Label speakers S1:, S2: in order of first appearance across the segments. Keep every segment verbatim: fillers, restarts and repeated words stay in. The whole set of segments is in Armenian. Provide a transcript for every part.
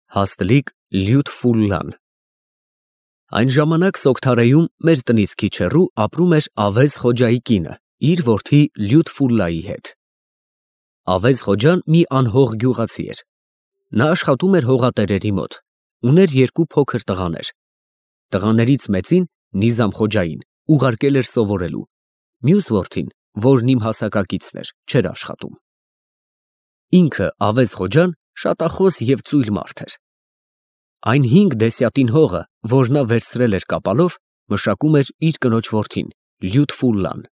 S1: Հաստլիկ Լյուտֆուլլան։ Այն ժամանակ Սոգթարեում մեր տնից քիչ հեռու ապրում էր Ավեզ Խոջայի կինը իր որդի Լյուտֆուլլայի հետ։ Ավեզ Խոջան մի անհող գյուղացի էր։ Նա աշխատում էր հողատերերի մոտ, ուներ երկու փոքր տղաներ։ Տղաներից մեծին՝ Նիզամ Խոջային, ուղարկել էր սովորելու, մյուս որդին, որն իմ հասակակիցն էր, չէր աշխատում։ Ինքը Ավեզ Խոջան շատախոս և ծույլ մարդ էր։ Այն հինգ դեսյատին հողը, որ նա վերցրել էր կապալով, մշակում էր իր կնոջ որդին՝ Լյուտֆուլլան։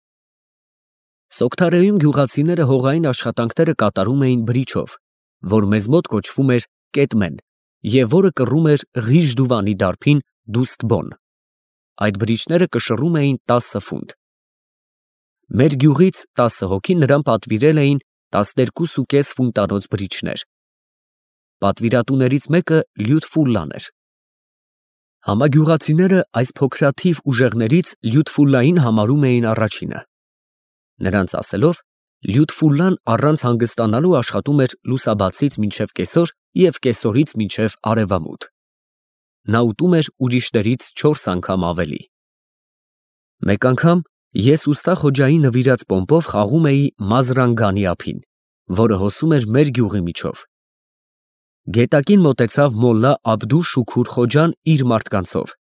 S1: Սոգթարեում գյուղացիները հողային աշխատանքները կատարում էին բրիչով, որ մեզ մոտ կոչվում էր կետմեն և որը կռում էր Ղիժդուվանի դարբին դուստբոն։ Այդ բրիչները կշռում էին տասը ֆունտ։ Մեր գյուղից տասը հոգի նրան պատվիրել էին տասներկուսուկես ֆունտանոց բրիչներ։ Պատվիրատուներից մեկը Լյուտֆուլլան էր։ Համագյուղացիները այս փոքրաթիվ ուժեղներից Լյուտֆուլլային համարում էին առաջինը։ Նրանց ասելով, Լյուտֆուլլան առանց հանգստանալու աշխատում էր լուսաբացից մինչև կեսօր և կեսօրից մինչև արևամուտ։ Նա ուտում էր ուրիշներից չորս անգամ ավելի։ Մեկ անգամ ես ուստա Խոջայի նվիրած պոմպով խաղում էի Մազրանգանի ափին, որը հոսում էր մեր գյուղի միջով։ Գետակին մոտեցավ մոլլա Աբդու Շուքուր Խոջան իր մարդկանցով,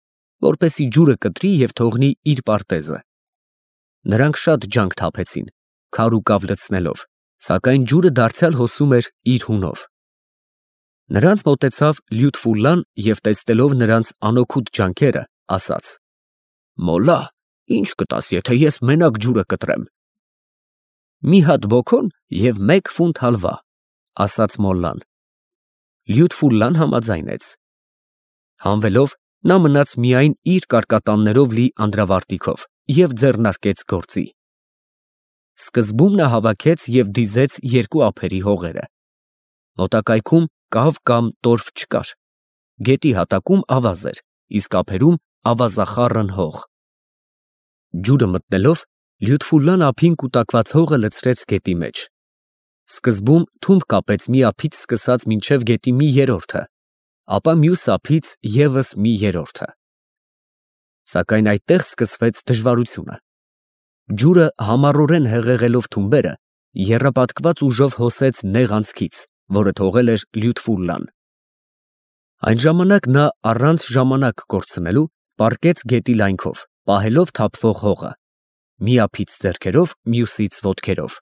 S1: որպեսզի ջուրը կտրի և թողնի իր պարտեզը։ Նրանք շատ ջանք թափեցին, քար ու կավ լցնելով, սակայն ջուրը դարձյալ հոսում էր իր հունով։ Նրանց մոտեցավ Լյուտֆուլլան և տեսնելով նրանց անօգուտ ջանքերը, ասաց. «Մոլլա, ի՞նչ կտաս, եթե ես մենակ ջուրը կտրեմ»։ «Մի հատ բոքոն և մեկ ֆունտ հալվա», ֊ ասաց մոլլան։ Լյուտֆուլլան համաձայնեց։ Հանվելով, նա մնաց միայն իր կարկատաններով լի անդրավարտիքով և ձեռնարկեց գործի։ Սկզբում նա հավաքեց և դիզեց երկու ափերի հողերը։ Մոտակայքում կավ կամ տորֆ չկար։ Գետի հատակում ավազ էր, իսկ ափերում ավազախառն հող։ Ջուրը մտնելով, Լյուտֆուլլան ափին կուտակված հողը լցրեց գետի մեջ։ Սկզբում թումբ կապեց մի ափից սկսած մինչև գետի մի երրորդը, ապա մյուս ափից ևս մի երրորդը։ Սակայն այդտեղ սկսվեց դժվարությունը։ Ջուրը համառորեն հեղեղելով թումբերը, եռապատկված ուժով հոսեց նեղ անցքից, որը թողել էր Լյուտֆուլլան։ Այն ժամանակ նա առանց ժամանակ կորցնելու պառկեց գետի լայնքով, պահելով թափվող հողը, մի ափից ձեռքերով, մյուսից ոտքերով։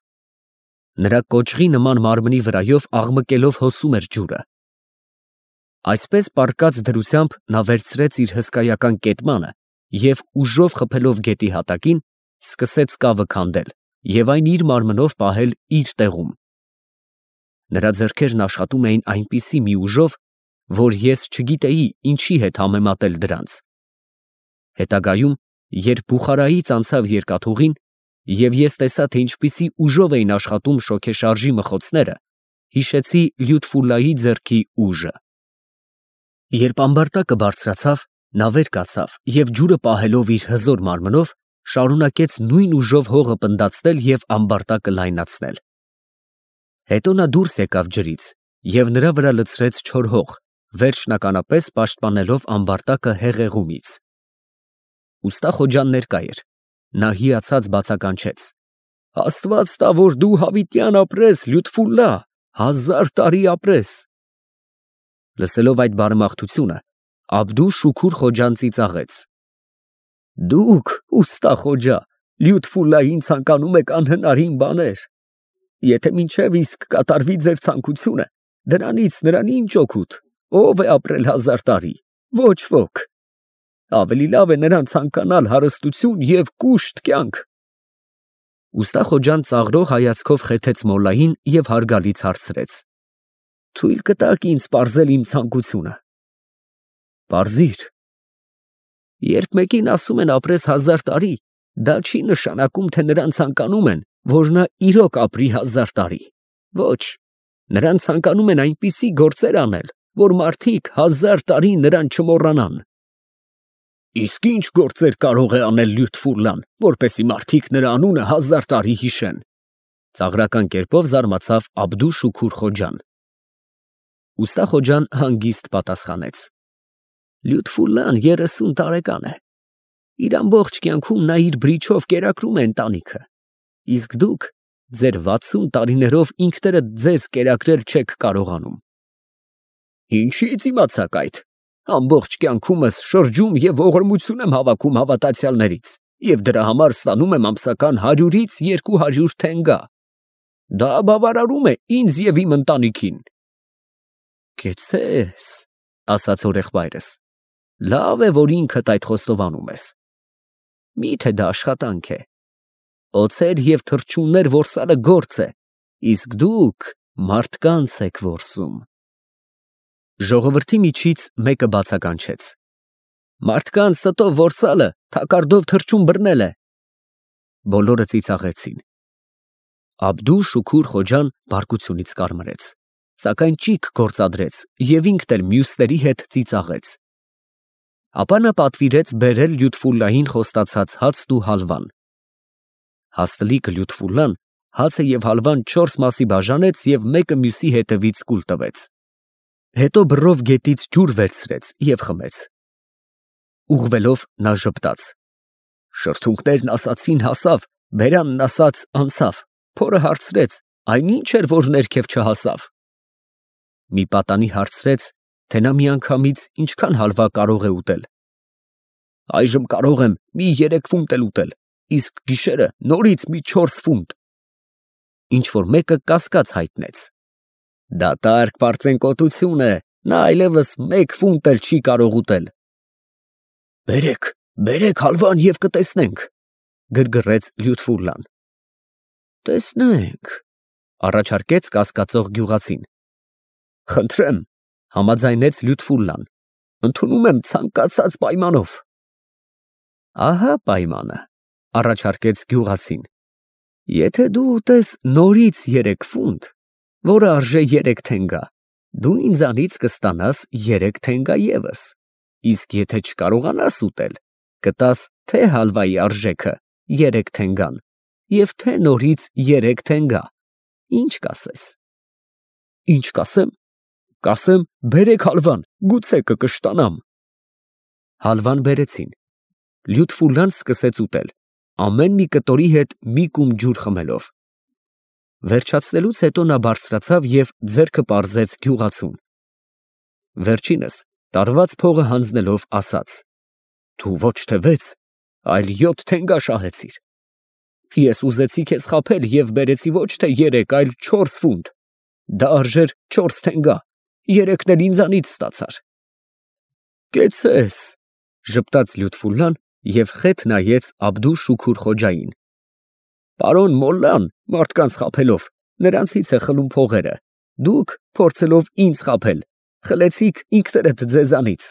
S1: Նրա կոճղի նման մարմնի վրայով աղմկելով հոսում էր ջուրը։ Այսպես պառկած դրությամբ նա վերցրեց իր հսկայական կետմանը և ուժով խփելով գետի հատակին, սկսեց կավը քանդել և այն իր մարմնով պահել իր տեղում։ Նրա ձեռքերն աշխատում էին այնպիսի մի ուժով, որ ես չգիտեի ինչի հետ համեմատել դրանց։ Հետագայում, երբ Բուխարայից անցավ երկաթուղին, և ես տեսա, թե ինչպիսի ուժով էին աշխատում շոգեշարժի մխոցները, հիշեցի Լյուտֆուլլայի ձեռքի ուժը։ Երբ ամբարտակը բարձրացավ, նա վեր կացավ և ջուրը պահելով իր հզոր մարմնով, շարունակեց նույն ուժով հողը պնդացնել և ամբարտակը լայնացնել։ Հետո նա դուրս եկավ ջրից և նրա վրա լցրեց չոր հող, վերջնականապես պաշտպանելով ամբարտակը հեղեղումից։ Ուստա Խոջան ներկա էր։ Նա հիացած բացականչեց. «Աստված տա, որ դու հավիտյան ապրես, Լյուտֆուլլա, հազար տարի ապրես»։ Լսելով այդ բարեմաղթությունը, Աբդու Շուքուր Խոջան ծիծաղեց. «Դուք, ուստա Խոջա, Լյուտֆուլլային ցանկանում եք անհնարին բաներ։ Եթե մինչև իսկ կատարվի ձեր ցանկությունը, դրանից նրան ինչ օգուտ, ով է ապրել հազար տարի, ոչ ոք։ Ավելի լավ է նրան ցանկանալ հարստություն և կուշտ կյանք»։ Ուստա Խոջան ծաղրող հայացքով խեթեց մոլլային և հարգալից հարցրեց. «Թույլ կտա՞ք ինձ պարզել իմ ցանկությունը»։ «Պարզիր»։ «Երբ մեկին ասում են ապրես հազար տարի, դա չի նշանակում, թե նրան ցանկանում են, որ նա իրոք ապրի հազար տարի։ Ոչ, նրան ցանկանում են այնպիսի գործեր անել, որ մարդիկ հազար տարի նրան չմոռանան»։ «Իսկ ի՞նչ գործեր կարող է անել Լյուտֆուլլան, որպեսզի մարդիկ նրա անունը հազար տարի հիշեն»։ Ծաղրական կերպով զարմացավ Աբդու Շուքուր Խոջան։ Ուստա Խոջան հանգիստ պատասխանեց. Լյուտֆուլլան երեսուն տարեկան է։ Իր ամբողջ կյանքում նա իր բրիչով կերակրում է ընտանիքը, իսկ դուք ձեր վաթսուն տարիներով ինքներդ ձեզ կերակրել չեք կարողանում։ Ինչի՞ց իմացաք այդ։ Ամբողջ կյանքումս շրջում եւ ողորմություն եմ հավաքում հավատացյալներից եւ դրա համար ստանում եմ ամսական հարյուրից երկու հարյուր թենգա։ Դա բավարարում է ինձ եւ իմ ընտանիքին։ Կեցես, ասաց հորեղբայրս, լավ է, որ ինքդ այդ խոստովանում ես։ Միթե դա աշխատանք է։ Օձեր և թռչուններ որսալը գործ է, իսկ դուք մարդկանց եք որսում։ Ժողովրդի միջից մեկը բացականչեց. Մարդկանց ստով որսալը թակարդով թռչուն բռնել է։ Բոլորը ծիծաղեցին։ Աբդու Շուքուր Խոջան բարկությունից կարմրեց, սակայն ճիգ գործադրեց և ինքն էլ մյուսների հետ ծիծաղեց։ Ապա նա պատվիրեց բերել Լյուտֆուլլային խոստացած հացն ու հալվան։ Հաստլիկը Լյուտֆուլլան հացը և հալվան չորս մասի բաժանեց և մեկը մյուսի հետևից կուլ տվեց։ Հետո բռով գետից ջուր վերցրեց և խմեց։ Ուղղվելով նա ժպտաց. Շրթունքներն ասացին հասավ, բերանն ասաց անցավ, փորը հարցրեց, այն ի՞նչ էր, որ ներքև չհասավ։ Մի պատանի հարցրեց, թե նա միանգամից ինչքան հալվա կարող է ուտել։ Այժմ կարող եմ մի երեք ֆունտ էլ ուտել, իսկ գիշերը նորից մի չորս ֆունտ։ Ինչ-որ մեկը կասկած հայտնեց. Դատարկ պարծենկոտություն է, նա այլևս մեկ ֆունտ էլ չի կարող ուտել։ Բերեք, բերեք հալվան և կտեսնենք, գրգռեց Լյուտֆուլլան։ Տեսնենք, առաջարկեց կասկածող գյուղացին։ Խնդրեմ, համաձայնեց Լյուտֆուլլան, ընդունում եմ ցանկացած պայմանով։ Ահա պայմանը, առաջարկեց գյուղացին։ Եթե դու ուտես նորից երեք ֆունտ, որը արժե երեք թենգա, դու ինձանից կստանաս երեք թենգա ևս, իսկ եթե չկարողանաս ուտել, կտաս թե հալվայի արժեքը երեք թենգան և թե նորից երեք թենգա, ինչ կասես։ Ինչ կասեմ, կասեմ բերեք հալվան, գուցե կկշտանամ։ Հալվան բերեցին։ Լյուտֆուլլան սկսեց ուտել, ամեն մի կտորի հետ մի կում ջուր խմելով։ Վերջացնելուց հետո նա բարձրացավ և ձեռքը պարզեց գյուղացուն։ Վերջինս տարված փողը հանձնելով ասաց. Դու ոչ թե վեց, այլ յոթ թենգա շահեցիր։ Ես ուզեցի քեզ խաբել և բերեցի ոչ թե երեք, այլ չորս ֆունտ։ Դա արժեր չորս թենգա, երեքն էլ ինձանից ստացար։ Կեցցես, ժպտաց Լյուտֆուլլան և խեթ նայեց Աբդու Շուքուր Խոջային։ Պարոն մոլլան մարդկանց խաբելով նրանցից է խլում փողերը, դուք փորձելով ինձ խաբել, խլեցիք ինքներդ ձեզանից։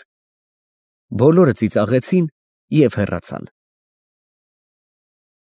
S1: Բոլորը ծիծաղեցին և հեռացան։